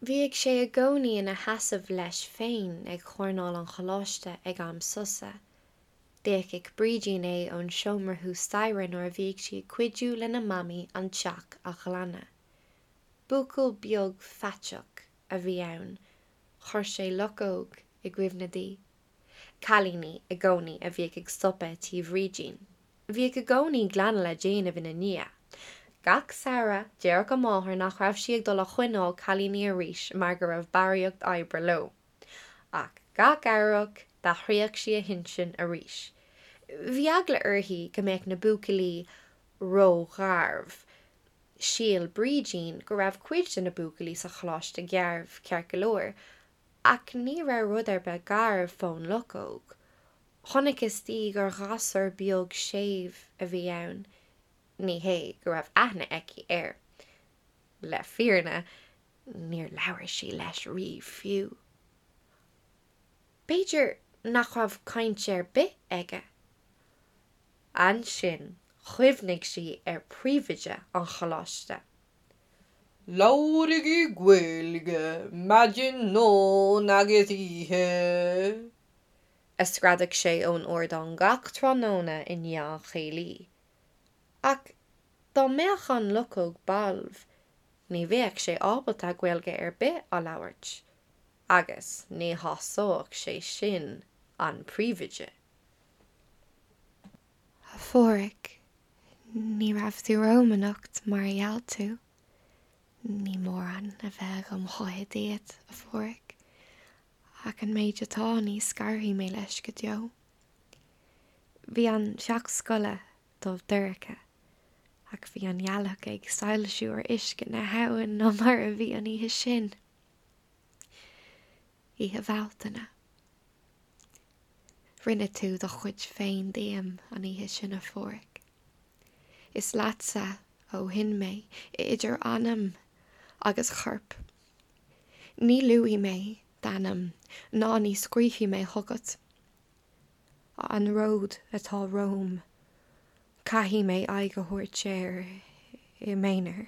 Bhíodh sé i gcónaí ina sheasamh leis féin ag coirneál an choláiste ag am sosa. D'fheicfeadh Brídín é ón seomra thuas staighre nuair a bhíodh sí ag cuidiú lena mamaí an teach a ghlanadh. Buachaill beag faiteach a bhí ann. Chuir sé luchóg i gcuimhne di. Cailíní i gcónaí a bhíodh ag stopadh tí Bhrídín. Bhíodh i gcónaí glanadh le déanamh ina ndiaidh. Gach samhradh, déarfadh a máthair nach raibh sí ag dul a choinneáil cailíní arís mar go raibh barraíocht oibre leo. Ach gach earrach, d'athraíodh sí a hintinn arís. Bhí eagla uirthi go mbeadh na buachaillí ró-gharbh. Shíl Brídín go raibh cuid de na buachaillí sa choláiste garbh ceart go leor, ach ní raibh rud ar bith garbh fón luchóg. Chonacthas di gur ghasúr beag séimh a bhí ann, ní hé go raibh aithne aici air. Le fírinne, níor labhair sí leis riamh fiú. B'fhéidir nach raibh caint ar bith aige. Ansin chuimhnigh sí ar phríomhoide an choláiste. Labhraigí Gaeilge maidin, nóin agus oíche! a screadadh sé ón ardán gach tráthnóna i ndiaidh an chéilí. Ach dá mbeadh an luchóg balbh, ní bheadh sé ábalta Gaeilge ar bith a labhairt, agus ní shásódh sé sin an príomhoide. A Pháraic, ní raibh tú romham anocht mar a gheall tú. Ní mórán a bheidh agam choíche díot, a Pháraic, Ach an méid atá, ní scarfaidh mé leis go deo. Bhí an teach scoile dubh dorcha, ach bhí an ghealach ag soilsiú ar uisce na habhann ná mar a bhí an oíche sin. Oíche Bhealtaine. Rinne tú do chuid féin díom an oíche sin, a Pháraic. Is leatsa ó shin mé, idir anam agus chorp. Ní luafaidh mé d'ainm ná ní scríobfaidh mé chugat. An ród atá romham, caithfidh mé aghaidh a thabhairt air i m'aonar.